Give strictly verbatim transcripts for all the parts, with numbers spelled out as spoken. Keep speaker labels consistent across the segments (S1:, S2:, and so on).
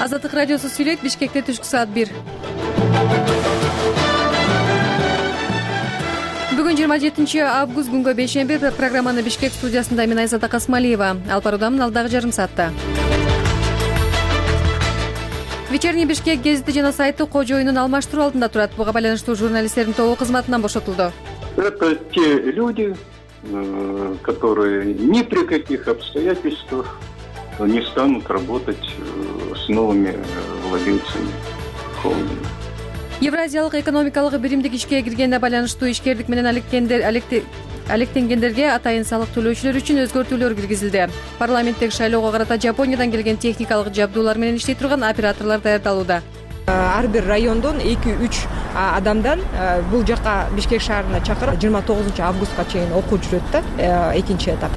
S1: Азаттык радиосу сүйлөйт. Бишкекте түшкү саат бир. Бүгүн жыйырма жетинчи август күнгө бейшемби. Программаны Бишкек студиясында мен Айзада Касмалиева алып баруудамын алдагы жарым саатта. Вечерний Бишкек гезити жана сайты кожоюнун алмаштыруу алдында турат. Буга байланыштуу журналисттердин тобу кызматынан бошотулду.
S2: Это те люди, которые ни при каких обстоятельствах не станут работать с новыми владельцами холдинга.
S1: Евразиялык экономикалык биримдик ишке киргенде байланыштуу ишкерлик менен алектендер алектенгендерге атайын салык төлөөчүлөр үчүн өзгөртүүлөр киргизилди. Парламенттеги шайлоого карата Жапониядан келген техникалык жабдуулар менен иштей турган операторлор даярдалууда.
S3: Ар бир райондон эки үч адамдан бул жака Бишкек шаарына чакырып жыйырма тогузунчу августка чейин окуу жүрөт да, экинчи этап.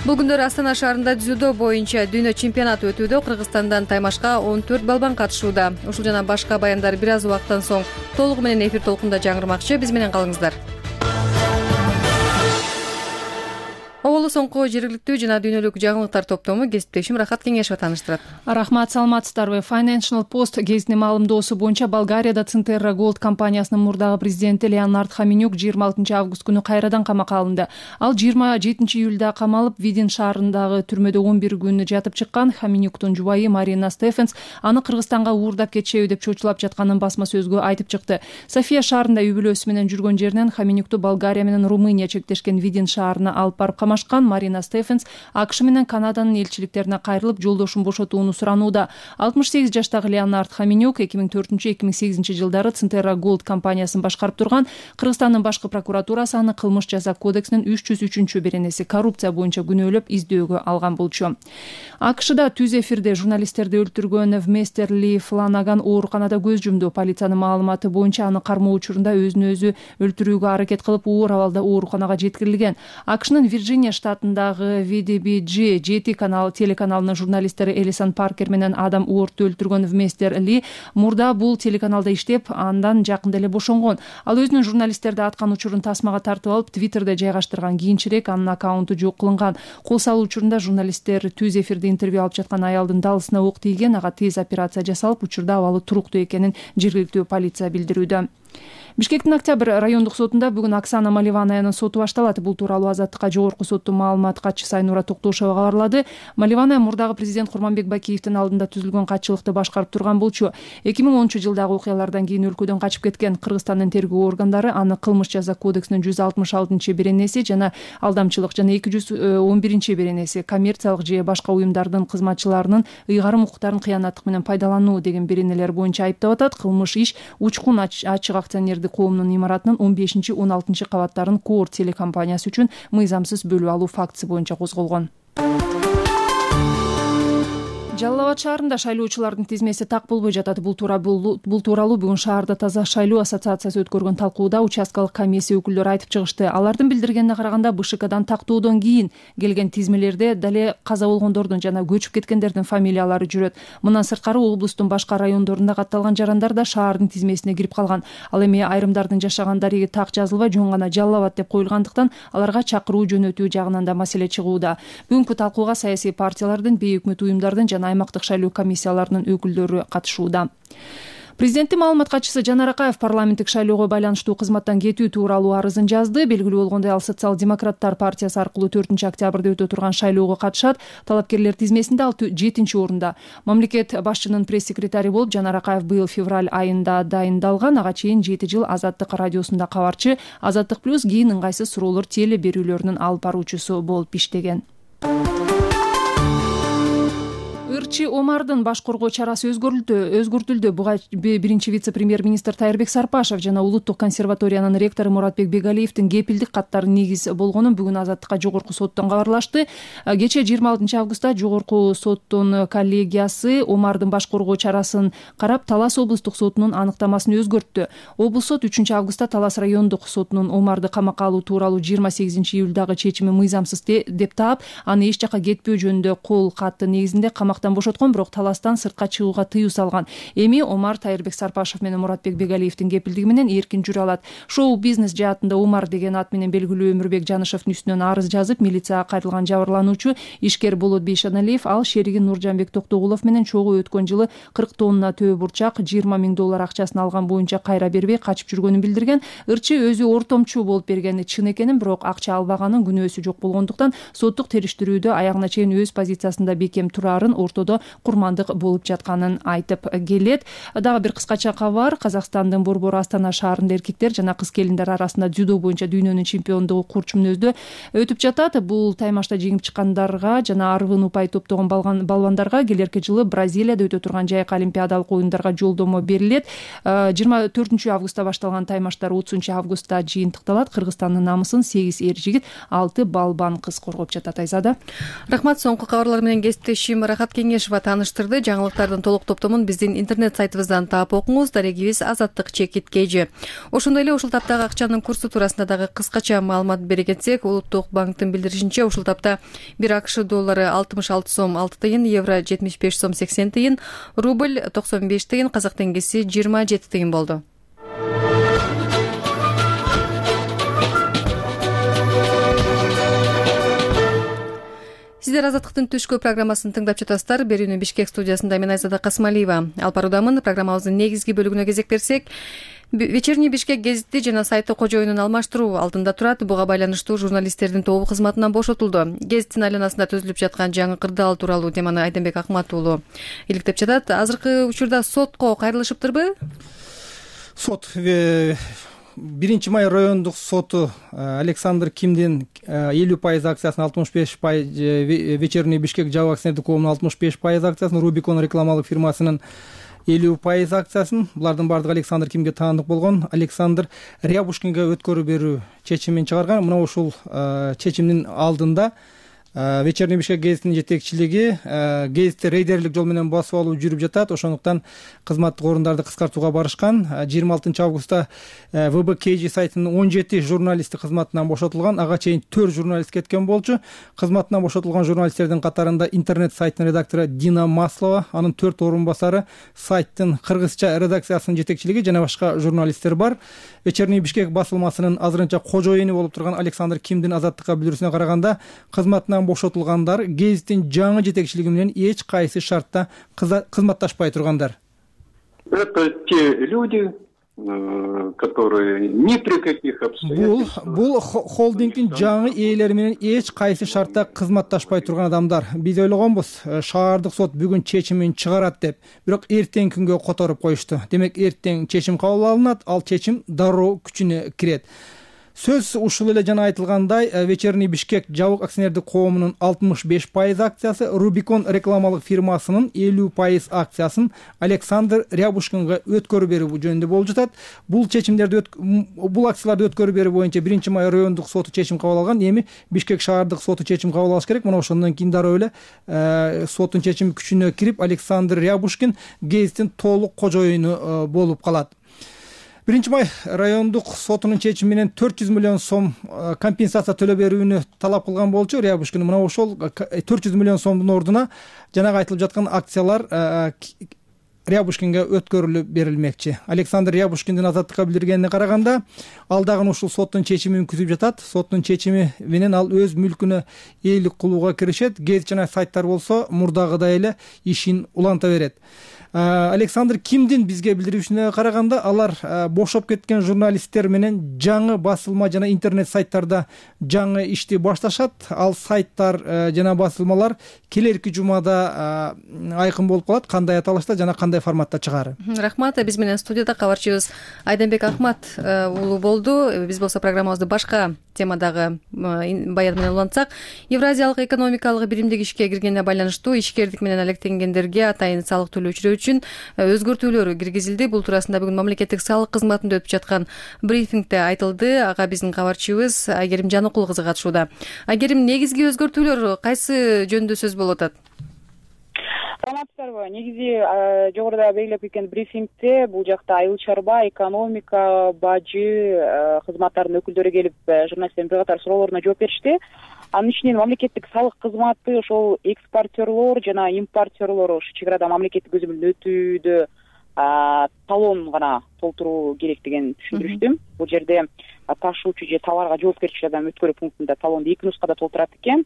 S1: Бул күндөр Астана шаарында дзюдо боюнча дүйнө чемпионаты өтүүдө. Кыргызстандан Таймашка он төрт балбан катышууда. Ушул жана башка баяндар бир аз убакыттан соң толугу менен эфир толкунда жаңырмакчы. Биз менен калыңыздар. Оболу соңку жергиликтүү жана дүйнөлүк жаңылыктар топтому кесиптешим Рахат Кеңешова тааныштырат.
S4: Рахмат, саламатсыздарбы. Financial Post гезитинин маалымдоосу боюнча Болгарияда Центерра Голд компаниясынын мурдагы президенти Леонард Хаменюк жыйырма алтынчы август күнү кайрадан камакка алынды. Ал жыйырма жетинчи июлда камалып, Видин шаарындагы түрмөдө он бир күн жатып чыккан. Хаменюктун жубайы Марина Стефенс аны Кыргызстанга уурдап кетишеби деп чочулап жатканын басма сөзгө айтып чыкты. София шаарында үй бүлөсү менен жүргөн жеринен Хаменюкту Болгария менен Румыния чектешкен Видин шаарына алып барып Марина Стефенс АКШ менен Канаданын элчиликтерине кайрылып, жолдошун бошотууну суранууда. алтымыш сегиз жаштагы Леонард Хаменюк эки миң төртүнчү эки миң сегизинчи жылдары Центерра Голд компаниясын башкарып турган. Кыргызстандын башкы прокуратурасы аны кылмыш жаза кодексинин үч жүз үчүнчү беренеси коррупция боюнча күнөөлөп издөөгө алган болчу. АКШда түз эфирде журналисттерди өлтүргөн Вместер Ли Фланаган ооруканада көз жумду. Полициянын маалыматы боюнча аны кармоо учурунда өзүн өзү өлтүрүүгө аракет кылып, оор абалда ооруканага жеткирилген. АКШнын Вирджиния штатындагы ви ди би джи жети канал телеканалынын журналисттери Элисон Паркер менен Адам Уорту өлтүргөн Вместер Ли мурда бул телеканалда иштеп, андан жакында эле бошонгон. Ал өзүнүн журналисттерди аткан учурун тасмага тартып алып, Твиттерде жайгаштырган. Кийинчерээк анын аккаунту жок кылынган. Кол салуу учурунда журналисттер түз эфирде интервью алып жаткан аялдын далысына ок тийген. Ага тез операция жасалып, учурда абалы туруктуу экенин жергиликтүү полиция билдирүүдө. Бишкектин Октябрь райондук сотунда бүгүн Оксана Маливанаянын соту башталат. Бул тууралуу Азаттыкка жогорку соттун маалымат катчысы Айнура Токтошова кабарлады. Маливаная мурдагы президент Курманбек Бакиевдин алдында түзүлгөн катчылыкты башкарып турган болчу. эки миң онунчу жылдагы окуялардан кийин өлкөдөн качып кеткен. Кыргызстандын тергөө органдары аны кылмыш жаза кодексинин жүз алтымыш алтынчы беренеси жана алдамчылык жана эки жүз он биринчи беренеси коммерциялык же башка уюмдардын кызматчыларынын ыйгарым укуктарын кыянаттык менен пайдалануу деген беренелер боюнча айыптап атат. Кылмыш иш Учкун ачык акционердик коомунун имаратынын он бешинчи он алтынчы кабаттарын Коор телекомпаниясы үчүн мыйзамсыз бөлүп алуу фактысы боюнча козголгон. Жалал Абад шаарында шайлоочулардын тизмеси так болбой жатат. Бул тууралуу бул тууралуу бүгүн шаарда Таза шайлоо ассоциациясы өткөргөн талкууда участкалык комиссия өкүлдөрү айтып чыгышты. Алардын билдиргенине караганда БШКдан тактоодон кийин келген тизмелерде дале каза болгондордун жана көчүп кеткендердин фамилиялары жүрөт. Мындан сырткары облустун башка райондорунда катталган жарандар да шаардын тизмесине кирип калган. Ал эми айрымдардын жашаган дареги так жазылбай, жөн гана Жалал Абад деп коюлгандыктан аларга чакыруу жөнөтүү жагынан да маселе чыгууда. Бүгүнкү талкууга саясий партиялардын, бейөкмөт уюмдардын жана аймактык шайлоо комиссияларынын өкүлдөрү катышууда. Президенттин маалымат катчысы Жанар Акаев парламенттик шайлоого байланыштуу кызматтан кетүү тууралуу арызын жазды. Белгилүү болгондой, ал Социал-демократтар партиясы аркылуу төртүнчү октябрда өтө турган шайлоого катышат. Талапкерлер тизмесинде ал жетинчи орунда. Мамлекет башчынын пресс-секретари болуп Жанар Акаев быйыл февраль айында дайындалган. Ага чейин жети жыл Азаттык радиосунда кабарчы, Азаттык плюс кийин ыңгайсыз суроолор теле берүүлөрүнүн алып баруучусу болуп иштеген. Ырчы Омардын баш коргоо чарасы өзгөртүлдү. Өзгөртүлдү. Буга биринчи вице-премьер-министр Тайырбек Сарпашев жана Улуттук консерваториянын ректору Муратбек Бегалиевдин кепилдик каттары негиз болгонун бүгүн Азаттыкка жогорку соттон кабарлашты. Кечээ жыйырма алтынчы августта жогорку соттун коллегиясы Омардын баш коргоо чарасын карап, Талас облустук сотунун аныктамасын өзгөрттү. Облус сот үчүнчү августта Талас райондук сотунун Омарды камакка алуу тууралуу жыйырма сегизинчи июлдагы чечими мыйзамсыз деп таап, аны эч жакка кетпөө жөнүндө кол катты негизинде камакта жамаалыктан бошоткон, бирок таластан сыртка чыгууга тыюу салган. Эми Омар Тайырбек Сарпашев менен Муратбек Бегалиевдин кепилдиги менен эркин жүрө алат. Шоу бизнес жаатында Умар деген ат менен белгилүү Өмүрбек Жанышевдин үстүнөн арыз жазып, милицияга кайрылган жабырлануучу ишкер Болот Бейшеналиев ал шериги Нуржанбек Токтогулов менен чогуу өткөн жылы кырк тонна төө бурчак, жыйырма миң доллар акчасын алган боюнча кайра бербей качып жүргөнүн билдирген. Ырчы өзү ортомчу болуп бергени чын экенин, бирок акча албаганын күнөөсү жок болгондуктан соттук териштирүүдө аягына чейин өз позициясында бекем турарын, ортодо курмандык болуп жатканын айтып келет. Дагы бир кыскача кабар. Казакстандын Борбор Астана шаарында эркектер жана кыз келиндер арасында дзюдо боюнча дүйнөнүн чемпиондугу курч мүнөздө өтүп жатат. Бул таймашта жеңип чыккандарга жана арбын упай топтогон балбандарга келерки жылы Бразилияда өтө турган жайкы олимпиадалык оюндарга жолдомо берилет. жыйырма төртүнчү августта башталган таймаштар отузунчу августта жыйынтыкталат. Кыргызстандын намысын сегиз эр жигит, алты балбан кыз коргоп жатат. Айзада.
S1: Рахмат. Соңку кабарлар менен кесиптешим Рахат Кеңешова тааныштырды. Жаңылыктардын толук топтомун биздин интернет сайтыбыздан таап окуңуз. Дарегибиз Азаттык Чекит Кежи. Ошондой эле ушул таптагы акчанын курсу туурасында дагы кыскача маалымат бере кетсек, Улуттук банктын билдиришинче ушул тапта бир АКШ доллары алтымыш алты сом алты тыйын, евро жетимиш беш сом сексен тыйын, рубль токсон беш тыйын, казак теңгеси жыйырма жети тыйын болду. Сиздер Азаттыктын түшкү программасын тыңдап жатасыздар. Берүүнү Бишкек студиясында мен Айзада Касмалиева алып баруудамын. Программабыздын негизги бөлүгүнө кезек берсек, Вечерний Бишкек гезити жана сайты кожоюнун алмаштыруу алдында турат. Буга байланыштуу журналисттердин тобу кызматынан бошотулду. Гезиттин айланасында түзүлүп жаткан жаңы кырдаал тууралуу теманы Айденбек Акмат уулу иликтеп жатат. Азыркы учурда сотко кайрылышыптырбы?
S5: Сот биринчи май райондук соту Александр Кимдин элүү пайыз акциясын, алтымыш беш пайыз Вечерний Бишкек жабык акционердик коомунун алтымыш беш пайыз акциясын, Рубикон рекламалык фирмасынын элүү пайыз акциясын, булардын бардыгы Александр Кимге таандык болгон. Александр Рябушкинге өткөрүү берүү чечимин чыгарган. Мына ушул чечимдин алдында Вечерний Бишкек гезитинин жетекчилиги гезитти рейдерлик жол менен басып алуу жүрүп жатат. Ошондуктан кызматтык орундарды кыскартууга барышкан. жыйырма алтынчы августта вэ бэ ка жи сайтынын он жети журналисти кызматынан бошотулган. Ага чейин төрт журналист кеткен болчу. Кызматынан бошотулган журналисттердин катарында интернет сайттын редактору Дина Маслова, анын төрт орун басары, сайттын кыргызча редакциясынын жетекчилиги жана башка журналисттер бар. Вечерний Бишкек басылмасынын азырынча кожоюну болуп турган Александр Кимдин Азаттыкка билдирүүсүнө караганда, кызматынан бошотулгандар гезиттин жаңы жетекчилиги менен эч кайсы шартта кызматташпай тургандар.
S2: Это те люди, которые ни при каких обстоятельствах.
S5: Бул бул холдингдин жаңы ээлери менен эч кайсы шартта кызматташпай турган адамдар. Биз ойлогонбуз, шаардык сот бүгүн чечимин чыгарат деп, бирок эртең күнгө которуп коюшту. Демек эртең чечим кабыл алынат, ал чечим дароо күчүнө кирет. Сөз ушул эле жана айтылгандай, Вечерний Бишкек жабык акционердик коомунун алтымыш беш пайыз акциясы, Рубикон рекламалык фирмасынын элүү пайыз акциясын Александр Рябушкинге өткөрүү берүү жөнүндө болуп жатат. Бул чечимдерди бул акцияларды өткөрүү берүү боюнча биринчи май райондук соту чечим кабыл алган. Эми Бишкек шаардык соту чечим кабыл алыш керек. Мына ошондон кийин дароо эле соттун чечими күчүнө кирип, Александр Рябушкин гезиттин толук кожоюну болуп калат. биринчи май райондук сотунун чечими менен төрт жүз миллион сом компенсация төлөп берүүнү талап кылган болчу Рябушкин. Мына ошол төрт жүз миллион сомдун ордуна жанагы айтылып жаткан акциялар Рябушкинге өткөрүлүп берилмекчи. Александр Рябушкиндин Азаттыкка билдиргенине караганда, ал дагы ушул соттун чечимин күтүп жатат. Соттун чечими менен ал өз мүлкүнө ээлик кылууга киришет. Гезит жана сайттар болсо мурдагыдай эле ишин уланта берет. Александр Кимдин бизге билдирүүсүнө караганда, алар бошоп кеткен журналисттер менен жаңы басылма жана интернет сайттарда жаңы ишти башташат. Ал сайттар жана басылмалар келерки жумада айкын болуп калат, кандай аталышта жана кандай форматта чыгары.
S1: Рахмат. Биз менен студияда кабарчыбыз Айденбек Акмат уулу болду. Биз болсо программабызды башка темадагы баян менен улантсак, Евразиялык экономикалык биримдик ишке киргенине байланыштуу ишкердик менен алектенгендерге атайын салык төлөөчүлөр үчүн өзгөртүүлөр киргизилди. Бул туурасында бүгүн мамлекеттик салык кызматында өтүп жаткан брифингде айтылды. Ага биздин кабарчыбыз Айгерим Жаныкул кызы катышууда. Айгерим, негизги өзгөртүүлөр кайсы жөнүндө сөз болуп атат?
S6: Саламатсыздарбы? Негизи жогоруда белгилеп кеткен брифингде бул жакта айыл чарба, экономика, бажы кызматтарынын өкүлдөрү келип, журналисттердин бир катар суроолоруна жооп беришти. Анын ичинен мамлекеттик салык кызматы ошол экспортерлор жана импортерлор ошо чек арада мамлекеттик көзөмөлдөн өтүүдө талон гана толтуруу керек деген түшүндүрүштү. Бул жерде ташуучу же товарга жоопкерчилик жардам өткөрүү пунктунда талонду эки нускада толтурат экен.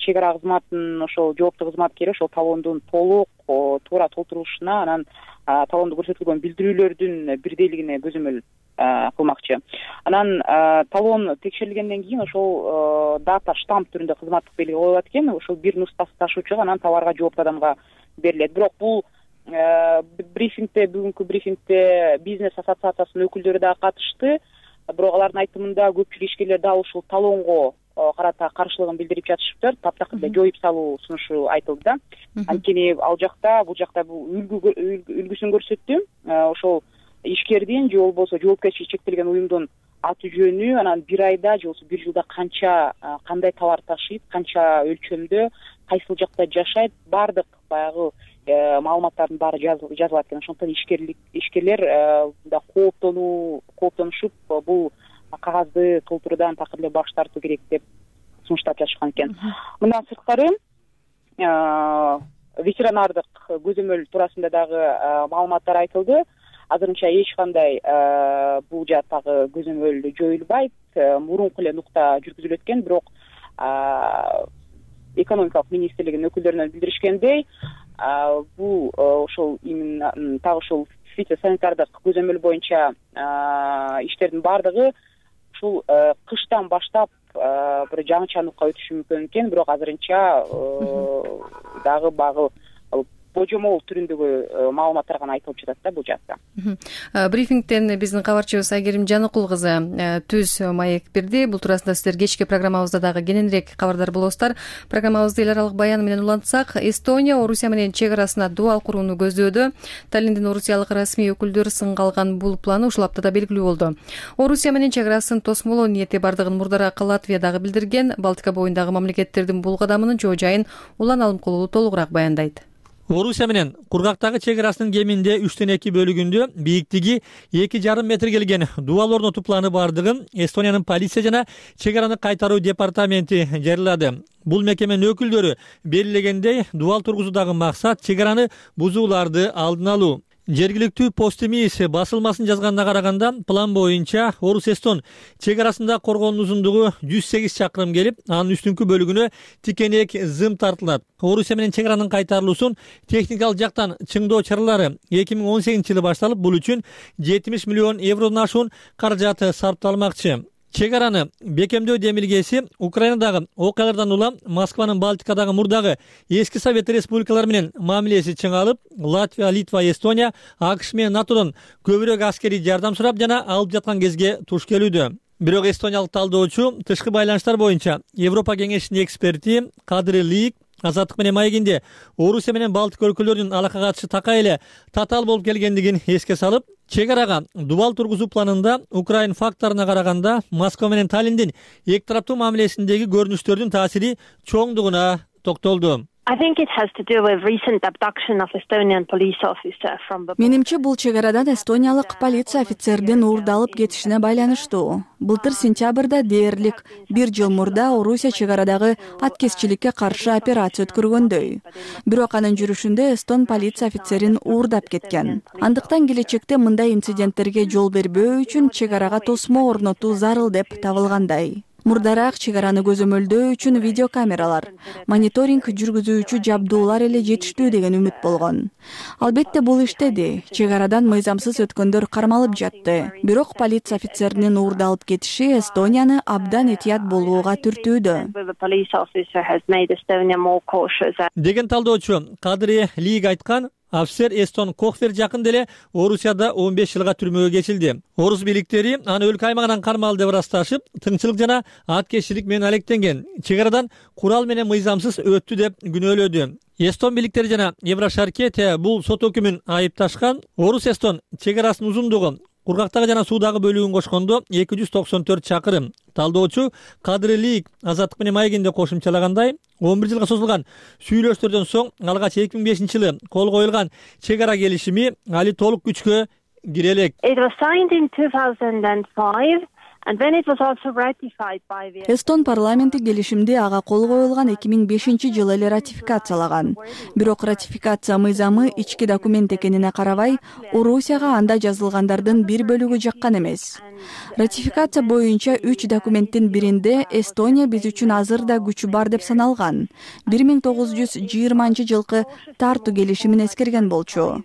S6: Чек ара кызматынын ошол жооптуу кызматкери ошол талондун толук туура толтурулушуна, анан талондо көрсөтүлгөн билдирүүлөрдүн бирдейлигине көзөмөл кылмакчы. Анан талон текшерилгенден кийин ошол дата штамп түрүндө кызматтык белги коюлат экен. Ошол бир нускасы ташуучуга, анан товарга жооптуу адамга берилет. Бирок бул брифингде, бүгүнкү брифингде бизнес ассоциациясынын өкүлдөрү да катышты. Бирок алардын айтымында көпчүлүк ишкерлер дал ушул талонго карата каршылыгын билдирип жатышыптыр. Таптакырда жоюп салуу сунушу айтылды да. Анткени ал жакта, бул жакта бул үлгүсүн көрсөттү. Ошол ишкердин же болбосо жоопкерчилиги чектелген уюмдун аты жөнү, анан бир айда же болбосо бир жылда канча кандай товар ташыйт, канча өлчөмдө, кайсыл жакта жашайт, баардык баягы маалыматтардын баары жазылат экен. Ошондон ишкерлик ишкерлер да кооптонуу кооптонушуп бул кагазды толтуруудан такыр эле баш тартуу керек деп сунуштап жатышкан экен. Мындан сырткары ветеринардык көзөмөл туурасында дагы маалыматтар айтылды. Азырынча эч кандай бул жактагы көзөмөл жоюлбайт. Мурунку эле нукта жүргүзүлөт экен, бирок экономикалык министрлигинин өкүлдөрүнөн билдиришкендей, бул ошол именно так ошол фитосанитардык көзөмөл боюнча иштердин баардыгы ушул кыштан баштап бир жаңычандыкка өтүшү мүмкүн экен. Бирок азырынча дагы багы божомол түрүндөгү маалыматтар гана айтылып жатат да бул жакта.
S1: Брифингден биздин кабарчыбыз Айгерим Жаныкул кызы түз маек берди. Бул туурасында сиздер кечки программабызда дагы кененирээк кабардар болосуздар. Программабызды эл аралык баян менен улантсак, Эстония Орусия менен чек арасына дубал курууну көздөөдө. Таллиндин орусиялык расмий өкүлдөрү сынга алган бул планы ушул аптада белгилүү болду. Орусия менен чек арасын тосмолоо ниети бардыгын мурдараак Латвия дагы билдирген. Балтика боюндагы мамлекеттердин бул кадамынын жоо жайын Улан Алымкулуу толугураак баяндайт.
S7: Орусия менен кургактагы чек арасынын кеминде үчтөн эки бөлүгүндө бийликтиги эки жарым метр келген дубал орнотуу планы бардыгын Эстониянын полиция жана чек араны кайтаруу департаменти жарыялады. Бул мекеменин өкүлдөрү белгилегендей, дубал тургузуудагы максат чек араны бузууларды алдын алуу. Жергиликтүү Постимис басылмасын жазганына караганда, план боюнча Орус-Эстон чек арасында коргоонун узундугу жүз сегиз чакырым келип, анын үстүнкү бөлүгүнө тикенек зым тартылат. Орусия менен чек аранын кайтарылуусун техникалык жактан чыңдоо чаралары эки миң он сегизинчи жылы башталып, бул үчүн жетимиш миллион евродон ашуун каражат сарпталмакчы. Чек араны бекемдөө демилгеси Украинадагы окуялардан улам Москванын Балтикадагы мурдагы эски Совет республикалары менен мамилеси чыңалып, Латвия, Литва, Эстония АКШ менен НАТОдон көбүрөөк аскерий жардам сурап жана алып жаткан кезге туш келүүдө. Бирок эстониялык талдоочу тышкы байланыштар боюнча Европа кеңешинин эксперти Кадри Лик Азаттык менен маегинде Орусия менен Балтик өлкөлөрүнүн алакка катышы такай эле татаал болуп келгендигин эске салып, чек арага дубал тургузуу планында Украин факторуна караганда Москва менен Таллиндин эки тараптуу мамилесиндеги көрүнүштөрдүн таасири чоңдугуна токтолду.
S8: Менимче бул чек арадан эстониялык полиция офицердин уурдалып кетишине байланыштуу. Былтыр сентябрда дээрлик бир жыл мурда Орусия чек арадагы аткезчиликке каршы операция өткөргөндөй. Бирок анын жүрүшүндө эстон полиция офицерин уурдап кеткен. Андыктан келечекте мындай инциденттерге жол бербөө үчүн чек арага тосмо орнотуу зарыл деп табылгандай. Мурдараак чек араны көзөмөлдөө үчүн видеокамералар, мониторинг жүргүзүүчү жабдуулар эле жетиштүү деген үмүт болгон. Албетте бул иштеди. Чек арадан мыйзамсыз өткөндөр кармалып жатты. Бирок полиция офицеринин уурдалып кетиши Эстонияны абдан этият болууга түртүүдө.
S7: Деген талдоочу Кадри Лиг айткан. Офицер Эстон Кохвер жакын деле Орусияда он беш жылга түрмөгө кечилди. Орус бийликтери аны өлкө аймагынан кармалды деп ырасташып, тыңчылык жана аткезчилик менен алектенген. Чек арадан курал менен мыйзамсыз өттү деп күнөөлөдү. Эстон бийликтери жана Еврошаркет бул сот өкүмүн айыпташкан. Орус-Эстон чек арасынын узундугу кургактагы жана суудагы бөлүгүн кошкондо эки жүз токсон төрт чакырым. Талдоочу Кадри Лик Азаттык менен маегинде кошумчалагандай, он бир жылга созулган сүйлөштөрдөн соң алгач эки миң бешинчи жылы кол коюлган чек ара келишими али толук күчкө кире элек.
S8: эстон парламенти келишимди ага кол коюлган эки миң бешинчи жылы эле ратификациялаган. Бирок ратификация мыйзамы ички документ экенине карабай, Орусияга анда жазылгандардын бир бөлүгү жаккан эмес. Ратификация боюнча үч документтин биринде Эстония биз үчүн азыр да күчү бар деп саналган. бир миң тогуз жүз жыйырманчы жылкы Тарту келишимин эскерген болчу.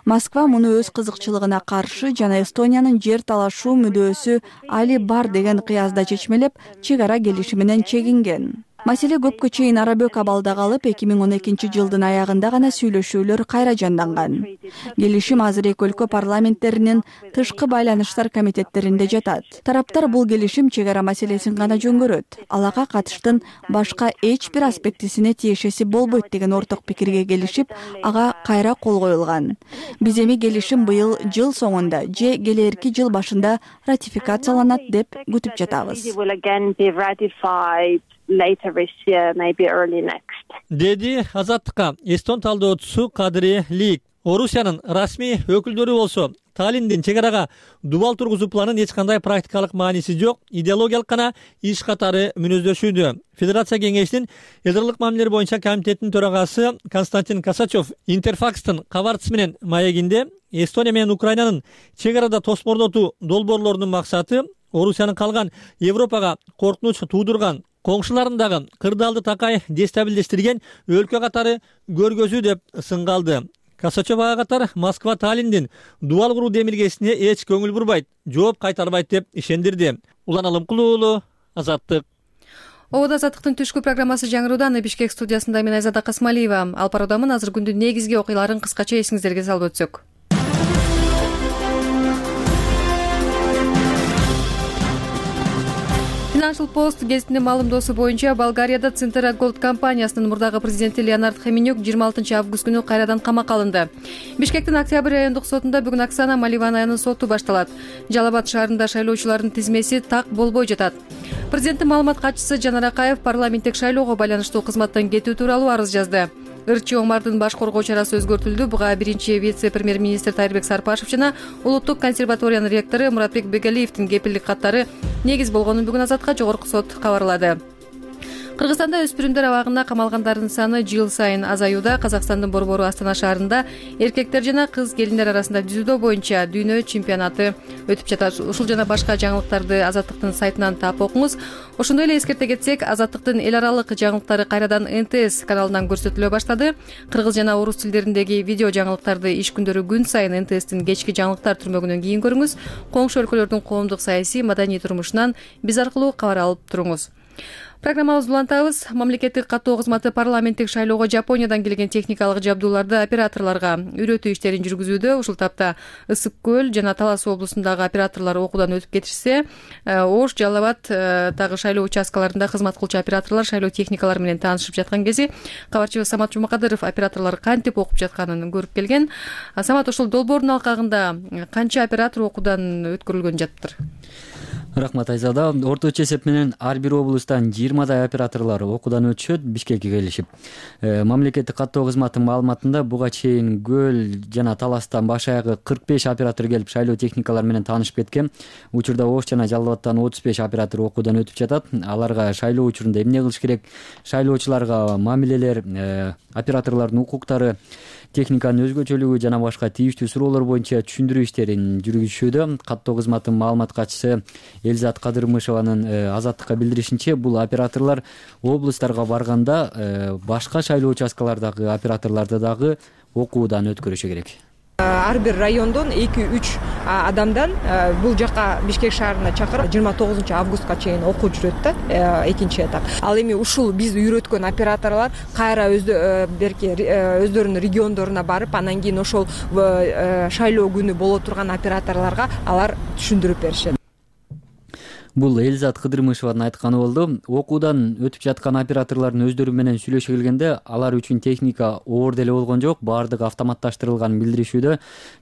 S8: Москва муну өз кызыкчылыгына каршы жана Эстониянын жер талашуу мүдөөсү али бар деген кыязда чечмелеп, чек ара келишиминен чегинген. Маселе көпкө чейин арабөк абалда калып, эки миң он экинчи жылдын аягында гана сүйлөшүүлөр кайра жанданган. Келишим азыр эки өлкө парламенттеринин тышкы байланыштар комитеттеринде жатат. Тараптар бул келишим чек ара маселесин гана жөнгөрөт. Алага катыштын башка эч бир аспектисине тиешеси болбойт деген орток пикирге келишип, ага кайра кол коюлган. Биз эми келишим быйыл жыл соңунда же келээрки жыл башында ратификацияланат деп күтүп жатабыз.
S9: Later this year, maybe early next.
S7: Деди Азаттыкка Эстон талдоочусу Кадри Лик. Орусиянын расмий өкүлдөрү болсо Таллиндин чек арага дубал тургузуу планын эч кандай практикалык мааниси жок, идеологиялык гана иш катары мүнөздөшүүдө. Федерация кеңешинин элдарлык мамилелер боюнча комитетинин төрагасы Константин Косачев Интерфакстын кабартысы менен маегинде Эстония менен Украинанын чек арада тосмордотуу долбоорлорунун максаты Орусиянын калган Европага коркунуч туудурган коңшуларындагы кырдаалды такай дестабилдештирген өлкө катары көргөзүү деп сынгалды. Косачев ага катар Москва Таллиндин дубал куруу демилгесине эч көңүл бурбайт, жооп кайтарбайт деп ишендирди. Улан Алымкулуу уулу, Азаттык.
S1: Ободо Азаттыктын түшкү программасы жаңыруудан Бишкек студиясында мен Айзада Касмалиева. Алып баруудамын. Азыр күндүн негизги окуяларын кыскача эсиңиздерге салып өтсөк. Financial Post гезитинин маалымдоосу боюнча Болгарияда Центра Голд компаниясынын мурдагы президенти Леонард Хаминюк жыйырма алтынчы август күнү кайрадан камакка алынды. Бишкектин Октябрь райондук сотунда бүгүн Оксана Маливанаянын соту башталат. Жалал Абад шаарында шайлоочулардын тизмеси так болбой жатат. Президенттин маалымат катчысы Жанар Акаев парламенттик шайлоого байланыштуу кызматтан кетүү тууралуу арыз жазды. Ырчы Омардын баш коргоо чарасы өзгөртүлдү. Буга биринчи вице-премьер-министр Тайырбек Сарпашев жана Улуттук консерваториянын ректору Муратбек Бегалиевдин кепилдик каттары негиз болгонун бүгүн Азатка жогорку сот кабарлады. Кыргызстанда өспүрүмдөр абагында камалгандардын саны жыл сайын азаюуда. Казакстандын борбору Астана шаарында эркектер жана кыз келиндер арасында дзюдо боюнча дүйнө чемпионаты өтүп жатат. Ушул жана башка жаңылыктарды Азаттыктын сайтынан таап окуңуз. Ошондой эле эскерте кетсек, Азаттыктын эл аралык жаңылыктары кайрадан эн тэ эс каналынан көрсөтүлө баштады. Кыргыз жана орус тилдериндеги видео жаңылыктарды иш күндөрү күн сайын эн тэ эстин кечки жаңылыктар түрмөгүнөн кийин көрүңүз. Коңшу өлкөлөрдүн коомдук, саясий, маданий турмушунан биз аркылуу кабар алып туруңуз. Программабызды улантабыз. Мамлекеттик каттоо кызматы парламенттик шайлоого Жапониядан келген техникалык жабдууларды операторлорго үйрөтүү иштерин жүргүзүүдө. Ушул тапта Ысык көл жана Талас облусундагы операторлор окуудан өтүп кетишсе, Ош, Жалал Абад дагы шайлоо участкаларында кызмат кылчу операторлор шайлоо техникалары менен таанышып жаткан кези кабарчыбыз Самат Жумакадыров операторлор кантип окуп жатканын көрүп келген. Самат, ошол долбоордун алкагында канча оператор окуудан өткөрүлгөн жатыптыр?
S10: Рахмат Айзада. Орточо эсеп менен ар бир облустан жыйырмадай операторлор окуудан өтүшөт Бишкекке келишип. Мамлекеттик каттоо кызматынын маалыматында буга чейин Көл жана Таластан баш аягы кырк беш оператор келип шайлоо техникалары менен таанышып кеткен. Учурда Ош жана Жалал Абадтан отуз беш оператор окуудан өтүп жатат. Аларга шайлоо учурунда эмне кылыш керек, шайлоочуларга мамилелер, операторлордун укуктары, техниканын өзгөчөлүгү жана башка тийиштүү суроолор боюнча түшүндүрүү иштерин жүргүзүшүүдө. Каттоо кызматынын маалымат катчысы Элизат Кадырмышеванын Азаттыкка билдиришинче, бул операторлор облустарга барганда башка шайлоо участкалардагы операторлорду дагы окуудан өткөрүшү керек.
S3: Ар бир райондон эки үч адамдан бул жака Бишкек шаарына чакырып жыйырма тогузунчу августка чейин окуу жүрөт да, экинчи этап. Ал эми ушул биз үйрөткөн операторлор кайра берки өздөрүнүн региондоруна барып, анан кийин ошол шайлоо күнү боло турган операторлорго алар түшүндүрүп беришет.
S10: Бул Элизат Кыдырмышеванын айтканы болду. Окуудан өтүп жаткан операторлордун өздөрү менен сүйлөшө келгенде алар үчүн техника оор деле болгон жок, баардыгы автоматташтырылганын билдиришүүдө.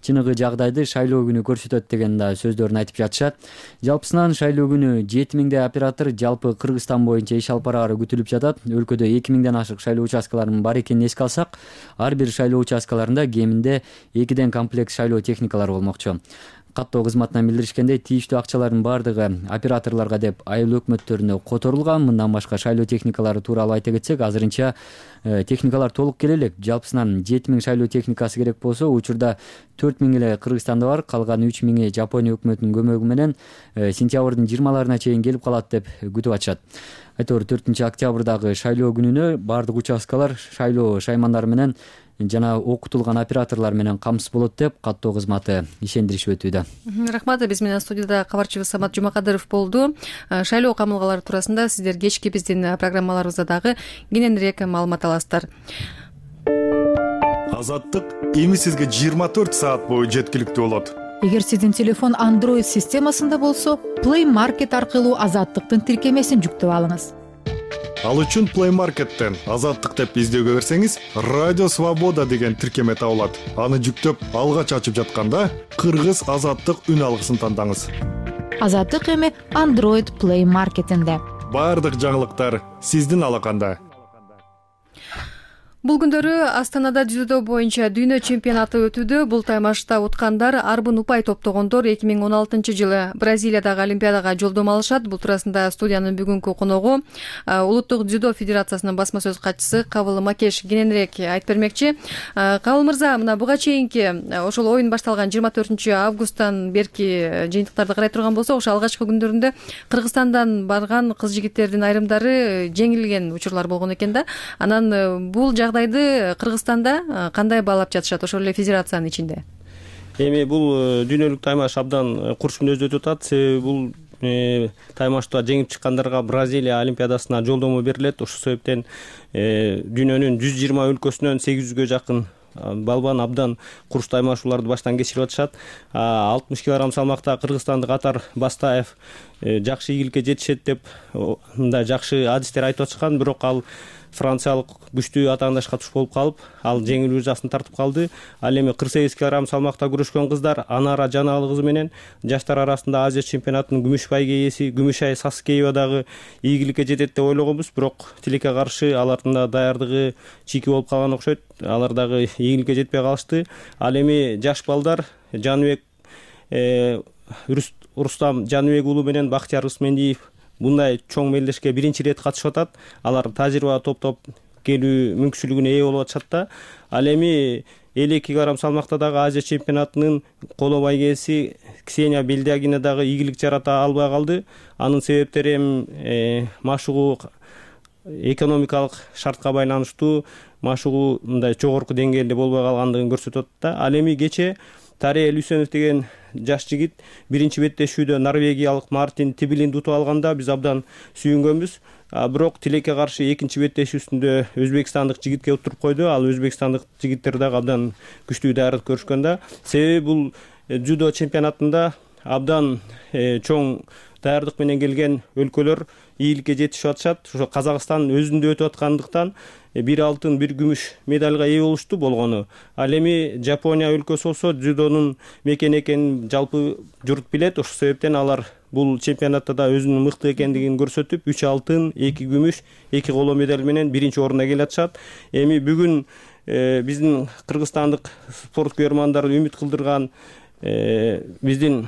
S10: Чыныгы жагдайды шайлоо күнү көрсөтөт деген да сөздөрүн айтып жатышат. Жалпысынан шайлоо күнү жети миңдей оператор жалпы Кыргызстан боюнча иш алып бараары күтүлүп жатат. Өлкөдө эки миңден ашык шайлоо участкаларынын бар экенин эске алсак, ар бир шайлоо участкаларында кеминде экиден комплект шайлоо техникалары болмокчу. каттоо кызматынан билдиришкендей, тийиштүү акчалардын баардыгы операторлорго деп айыл өкмөттөрүнө которулган. Мындан башка шайлоо техникалары тууралуу айта кетсек, азырынча техникалар толук келе элек. Жалпысынан жети миң шайлоо техникасы керек болсо, учурда төрт миң эле Кыргызстанда бар, калган үч миңи Жапония өкмөтүнүн көмөгү менен сентябрдын жыйырмаларына чейин келип калат деп күтүп атышат. Айтор төртүнчү октябрдагы шайлоо күнүнө баардык участкалар шайлоо шаймандары менен жана окутулган операторлор менен камсыз болот деп каттоо кызматы ишендиришип өтүүдө.
S1: Рахмат. Биз менен студияда кабарчыбыз Самат Жумакадыров болду. Шайлоо камылгалары туурасында сиздер кечки биздин программаларыбызда дагы кененирээк маалымат аласыздар.
S11: Азаттык эми сизге жыйырма төрт саат бою жеткиликтүү болот.
S12: Эгер сиздин телефон Android системасында болсо, Play Market аркылуу Азаттыктын тиркемесин жүктөп алыңыз.
S11: Ал үчүн Play Market'тен Азаттык деп издөөгө берсеңиз, Радио Свобода деген тиркеме табылат. Аны жүктөп, алгач ачып жатканда Кыргыз Азаттык үн алгысын тандаңыз.
S12: Азаттык эми Android Play Market'инде.
S11: Баардык жаңылыктар сиздин алаканда.
S1: Бул күндөрү Астанада дзюдо боюнча дүйнө чемпионаты өтүүдө. Бул таймашта уткандар арбын упай топтогондор эки миң он алтынчы жылы Бразилиядагы Олимпиадага жолдомо алышат. Бул туурасында студиянын бүгүнкү коногу Улуттук дзюдо федерациясынын басма сөз катчысы Кабыл Макеш кененирээк айтып бермекчи. Кабыл мырза, мына буга чейинки ошол оюн башталган жыйырма төртүнчү августтан берки жыйынтыктарды карай турган болсок, ошо алгачкы күндөрүндө Кыргызстандан барган кыз жигиттердин айрымдары жеңилген учурлар болгон экен да. Анан бул жагдайды Кыргызстанда кандай баалап жатышат, ошол эле федерациянын ичинде?
S13: Эми бул дүйнөлүк таймаш абдан курч мүнөздө өтүп атат. Себеби бул таймашта жеңип чыккандарга Бразилия олимпиадасына жолдомо берилет. Ошол себептен дүйнөнүн жүз жыйырма өлкөсүнөн сегиз жүзгө жакын балбан абдан курч таймашууларды баштан кечирип атышат. алтымыш килограмм салмакта кыргызстандык Атар Бастаев жакшы ийгиликке жетишет деп мындай жакшы адистер айтып атышкан, бирок ал франциялык күчтүү атаандаш катыш болуп калып, ал жеңилүү жасын тартып калды. Ал эми кырк сегиз килограмм салмакта күрөшкөн кыздар Анара Жаналы кызы менен жаштар арасында Азия чемпионатынын күмүш байге ээси Күмүшай Саскеева дагы ийгиликке жетет деп ойлогонбуз, бирок тилекке каршы алардын да даярдыгы чийки болуп калган окшойт. Алар дагы ийгиликке жетпей калышты. Ал эми жаш балдар Жаныбек Рустам Жаныбек уулу менен Бактияр Ысмендиев мындай чоң мелдешке биринчи ирет катышып атат. Алар тажрыйба топтоп келүү мүмкүнчүлүгүнө ээ болуп атышат да. Ал эми элүү эки килограмм салмакта дагы Азия чемпионатынын коло байгеси Ксения Белдягина дагы ийгилик жарата албай калды. Анын себептери эми машыгуу экономикалык шартка байланыштуу, машыгуу мындай жогорку деңгээлде болбой калгандыгын көрсөтүп атат да. Ал эми кече Тария Люсенов деген жаш жигит биринчи беттешүүдө норвегиялык Мартин Тибилинди утуп алганда биз абдан сүйүнгөнбүз. Бирок тилекке каршы экинчи беттешүүсүндө өзбекстандык жигитке уттуруп койду. Ал өзбекстандык жигиттер дагы абдан күчтүү даярдык көрүшкөн да. Себеби бул дзюдо чемпионатында абдан чоң даярдык менен келген өлкөлөр ийгиликке жетишип атышат. Ошо Казакстан өзүндө өтүп аткандыктан бир алтын, бир күмүш медальга ээ болушту болгону. Ал эми Жапония өлкөсү болсо дзюдонун мекени экенин жалпы журт билет. Ошол себептен алар бул чемпионатта да өзүнүн мыкты экендигин көрсөтүп, үч алтын, эки күмүш, эки коло медаль менен биринчи орунда келе атышат. Эми бүгүн биздин кыргызстандык спорт көрөрмандарды үмүт кылдырган биздин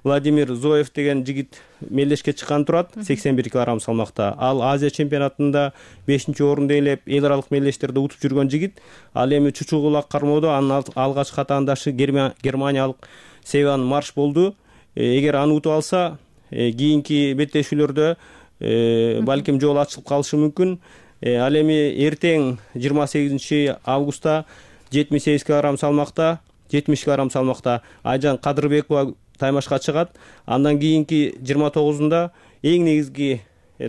S13: Владимир Зоев деген жигит мелдешке чыккан турат, сексен бир килограмм салмакта. Ал Азия чемпионатында бешинчи орунду ээлеп, эл аралык мелдештерде утуп жүргөн жигит. Ал эми чучугулак кармоодо анын алгачкы атаандашы германиялык Севан Марш болду. Эгер аны утуп алса, кийинки беттешүүлөрдө балким жол ачылып калышы мүмкүн. Ал эми эртең жыйырма сегизинчи августта жетимиш сегиз килограмм салмакта, жетимиш килограмм салмакта Айжан Кадырбекова таймашка чыгат. Андан кийинки жыйырма тогузунда эң негизги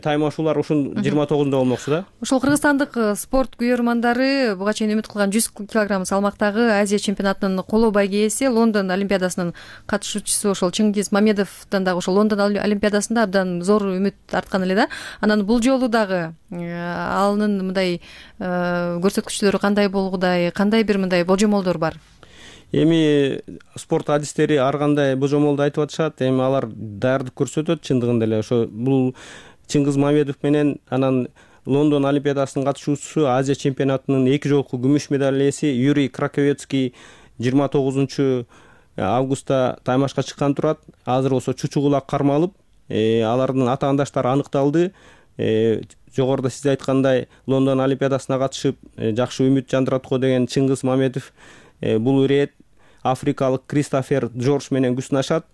S13: таймашуулар ушун жыйырма тогузунда болмокчу да.
S1: Ошол кыргызстандык спорт күйөрмандары буга чейин үмүт кылган жүз килограмм салмактагы Азия чемпионатынын коло байге ээси, Лондон олимпиадасынын катышуучусу ошол Чыңгиз Мамедовдон дагы ошол Лондон олимпиадасында абдан зор үмүт арткан эле да. Анан бул жолу дагы анын мындай көрсөткүчтөрү кандай болгудай, кандай бир мындай божомолдор бар?
S13: Эми спорт адистери ар кандай божомолду айтып атышат. Эми алар даярдык көрсөтөт чындыгында эле. Ошо бул Чыңгыз Мамедов менен анан Лондон олимпиадасынын катышуучусу, Азия чемпионатынын эки жолку күмүш медаль ээси Юрий Краковецкий жыйырма тогузунчу августта таймашка чыккан турат. Азыр болсо чучу кулак кармалып, алардын атаандаштары аныкталды. Жогоруда сиз айткандай Лондон олимпиадасына катышып жакшы үмүт жандырат го деген Чыңгыз Мамедов бул ирет африкалык Кристофер Джордж менен күчүнашат.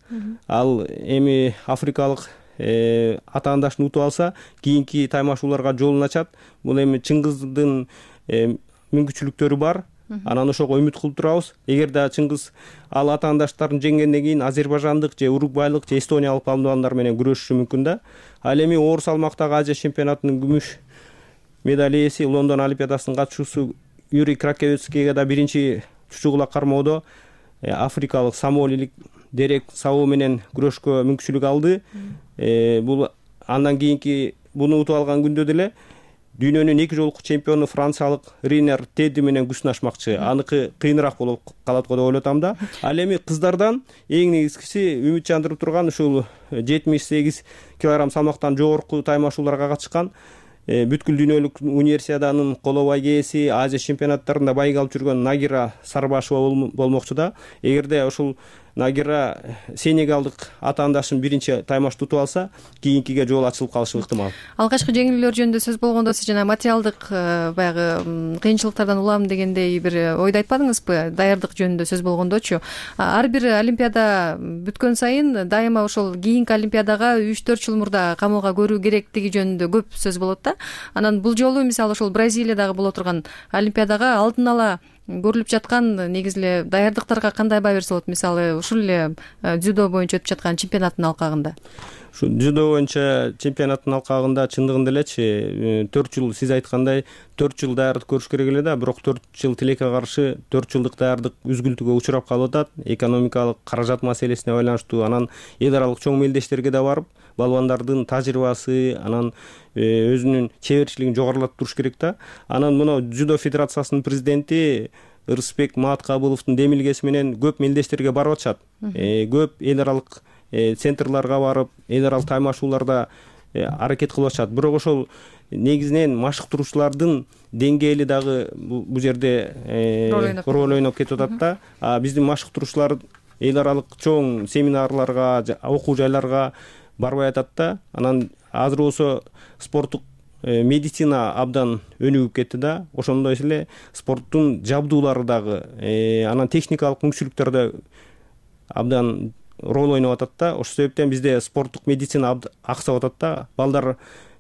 S13: Ал эми африкалык атаандашын утуп алса, кийинки таймашууларга жолун ачат. Бул эми Чыңгыздын мүмкүнчүлүктөрү бар. Анан ошого үмүт кылып турабыз. Эгер да Чыңгыз ал атаандаштарын жеңгенден кийин азербайжандык же уругвайлык же эстониялык балбандар менен күрөшүшү мүмкүн да. Ал эми оор салмактагы Азия чемпионатынын күмүш медаль ээси, Лондон олимпиадасынын катышуусу Юрий Кракевецкийге да биринчи чучу кулак кармоодо африкалык самолилик Дерек Сабо менен күрөшкө мүмкүнчүлүк алды. Бул андан кийинки буну утуп алган күндө деле дүйнөнүн эки жолку чемпиону франциялык Ринер Теди менен күчүнашмакчы. Аныкы кыйыныраак болуп калат го деп ойлоп атам да. Ал эми кыздардан эң негизгиси үмүт жандырып турган ушул жетимиш сегиз килограмм салмактан жогорку таймашууларга катышкан бүткүл дүйнөлүк универсиаданын коло байге ээси, Азия чемпионаттарында байга алып жүргөн Нагира Сарбашева болмокчу да. Эгерде ушул Нагира сенегалдык атаандашын биринчи таймашты утуп алса, кийинкиге жол ачылып калышы ыктымал.
S1: Алгачкы жеңилүүлөр жөнүндө сөз болгондо сиз жана материалдык баягы кыйынчылыктардан улам дегендей бир ойду айтпадыңызбы? Даярдык жөнүндө сөз болгондочу. Ар бир олимпиада бүткөн сайын дайыма ошол кийинки олимпиадага үч төрт жыл мурда камылга көрүү керектиги жөнүндө көп сөз болот да. Анан бул жолу мисалы ошол Бразилиядагы боло турган олимпиадага алдын ала көрүлүп жаткан негизи эле даярдыктарга кандай баа берсе болот? Мисалы ушул эле дзюдо боюнча өтүп жаткан чемпионаттын алкагында.
S13: Ушу дзюдо боюнча чемпионаттын алкагында чындыгында элечи төрт жыл сиз айткандай төрт жыл даярдык көрүш керек эле да, бирок төрт жыл тилекке каршы төрт жылдык даярдык үзгүлтүгө учурап калып атат. Экономикалык каражат маселесине байланыштуу, анан эл аралык чоң мелдештерге да барып, балбандардын тажрыйбасы, анан өзүнүн чеберчилигин жогорулатып туруш керек да. Анан мына дзюдо федерациясынын президенти Ырысбек Мааткабыловдун демилгеси менен көп мелдештерге барып атышат. Көп эл аралык центрларга барып, эл аралык таймашууларда аракет кылып атышат. Бирок ошол негизинен машыктыруучулардын деңгээли дагы бул жерде роль ойноп кетип атат да. А биздин машыктыруучулар эл аралык чоң семинарларга, окуу жайларга барбай атат да. Анан азыр болсо спорттук медицина абдан өнүгүп кетти да. Ошондой эле спорттун жабдуулары дагы, анан техникалык мүмкүнчүлүктөр да абдан роль ойноп атат да. Ошол себептен бизде спорттук медицина аксап атат да. Балдар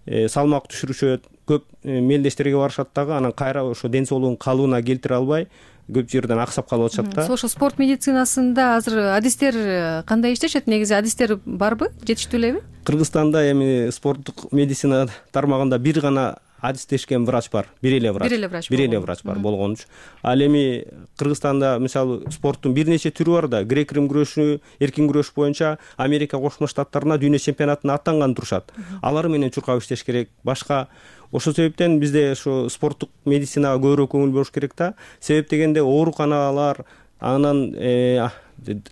S13: салмак түшүрүшөт, көп мелдештерге барышат дагы, анан кайра ошо ден соолугун калыбына келтире албай көп жерден аксап калып атышат да.
S1: Ошо спорт медицинасында азыр адистер кандай иштешет? Негизи адистер барбы? Жетиштүү элеби?
S13: Кыргызстанда эми спорттук медицина тармагында бир гана адистешкен врач бар. Бир эле врач.
S1: Бир эле врач.
S13: Бир эле врач бар болгончу. Ал эми Кыргызстанда мисалы спорттун бир нече түрү бар да. Грек-рим күрөшү, эркин күрөш боюнча Америка Кошмо Штаттарына дүйнө чемпионатына аттанган турушат. Алар менен чуркап иштеш керек. Башка ошол себептен бизде ошо спорттук медицинага көбүрөөк көңүл буруш керек да. Себеп дегенде ооруканалар, анан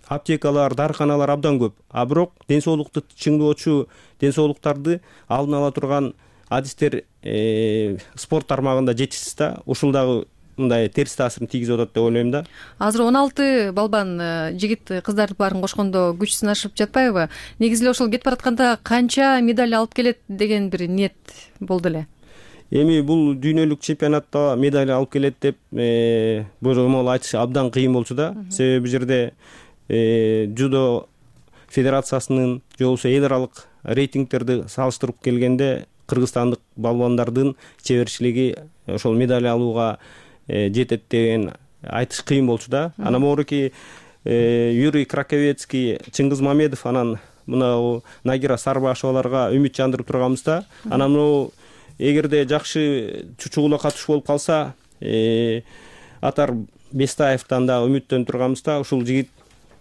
S13: аптекалар, дарыканалар абдан көп. А бирок ден соолукту чыңдоочу, ден соолуктарды алдын ала турган адистер спорт тармагында жетишсиз да. Ушул дагы мындай терс таасирин тийгизип атат деп ойлойм да.
S1: Азыр он алты балбан жигит кыздарды баарын кошкондо күч сынашып жатпайбы? Негизи эле ошол кетип баратканда канча медаль алып келет деген бир ниет болду эле.
S13: Эми бул дүйнөлүк чемпионатта медаль алып келет деп божомол айтыш абдан кыйын болчу да. Себеби бул жерде дзюдо федерациясынын же болбосо эл аралык рейтингтерди салыштырып келгенде кыргызстандык балбандардын чеберчилиги ошол медаль алууга жетет деген айтыш кыйын болчу да. Анан могуруки Юрий Кракевецкий, Чыңгыз Мамедов, анан мына Нагира Сарбашеваларга үмүт жандырып турганбызда. Анан мына эгерде жакшы чучу кулакка туш болуп калса, Атар Бестаевден да үмүттөнүп турганбызда. Ушул жигит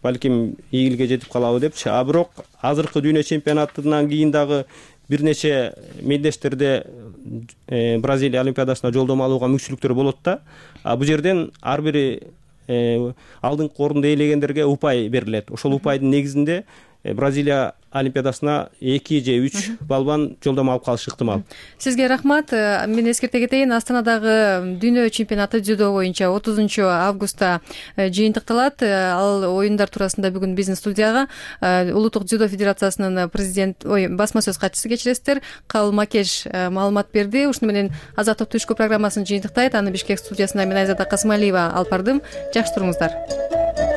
S13: балким ийгиликке жетип калабы депчи. А бирок азыркы дүйнө чемпионатынан кийин дагы бир нече мелдештерде Бразилия олимпиадасына жолдомо алууга мүмкүнчүлүктөр болот да. А бул жерден ар бири алдыңкы орунду ээлегендерге упай берилет. Ошол упайдын негизинде Бразилия олимпиадасына эки же үч балбан жолдомо алып калышы ыктымал.
S1: Сизге рахмат. Мен эскерте кетейин, Астанадагы дүйнө чемпионаты дзюдо боюнча отузунчу августта жыйынтыкталат. Ал оюндар туурасында бүгүн биздин студияга Улуттук дзюдо федерациясынын президент ой басма сөз катчысы кечиресиздер Кабыл Макеш маалымат берди. Ушуну менен Азаттык түшкү программасын жыйынтыктайт. Аны Бишкек студиясында мен Айзада Касымалиева алып бардым. Жакшы туруңуздар.